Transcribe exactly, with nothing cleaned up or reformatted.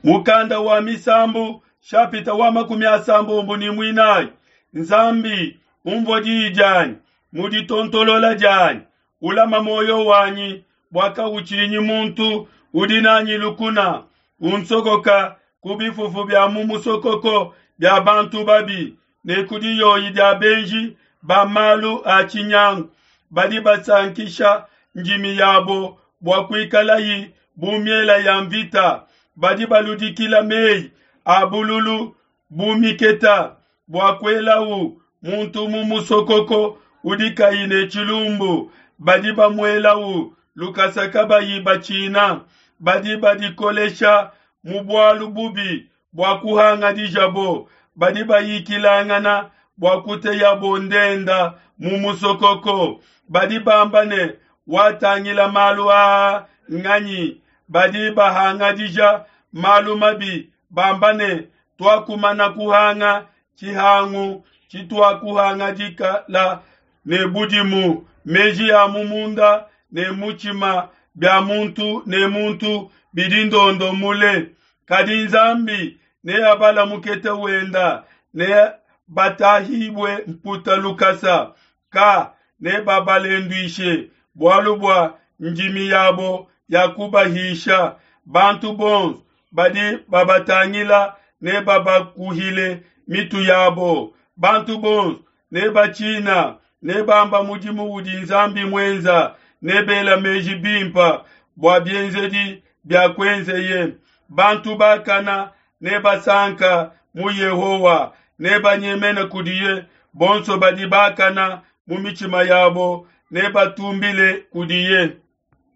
Mukanda wa Misambu shapita wa makumi asambombo ne muinayi. Nzambi umvua diyi dianyi mu ditontolola dianyi, ulama muoyo wanyi bua kautshinyi muntu udi nanyi lukuna, unsokoka ku bifufu bia mu musokoko bia bantu babi ne ku diyoyi dia benji ba malu a tshinyangu badi basankisha ndimi yabo bua kuikalayi bu miela ya mvita, badi baludikila meyi a bululu bu miketa bua kuelawu muntu mu musokoko udi kayi ne tshilumbu, badi bamuelawu lukasa kabayi batshina, badi badikolesha mu bualu bubi bua kuhangadijabo, badi bayikilangana bua kuteyabo ndenda mu musokoko, badi bamba ne, watangila malu aa nganyi? Badi bahangadija malu mabi bamba ne, tuakumana kuhanga tshihangu tshituakuhangadikala ne budimu, meji a mu munda ne mutshima bia muntu ne muntu bidi ndondo mule. Kadi Nzambi neabala mukete wenda, ne batahibue mputa lukasa, ka nebabalenduishe bualu bua ndimi yabo yakubahisha. Bantu bonso badi babatangila nebabakuhile mitu yabo, bantu bonso nebatshina, nebamba mudimu udi Nzambi muenza, nebela meji bimpa bua bienzedi bia kuenzeye. Bantu bakana nebasanka mu Yehowa, nebanyemene kudiye, bonso badi bakana mu mitshima yabo nebatumbile kudiye.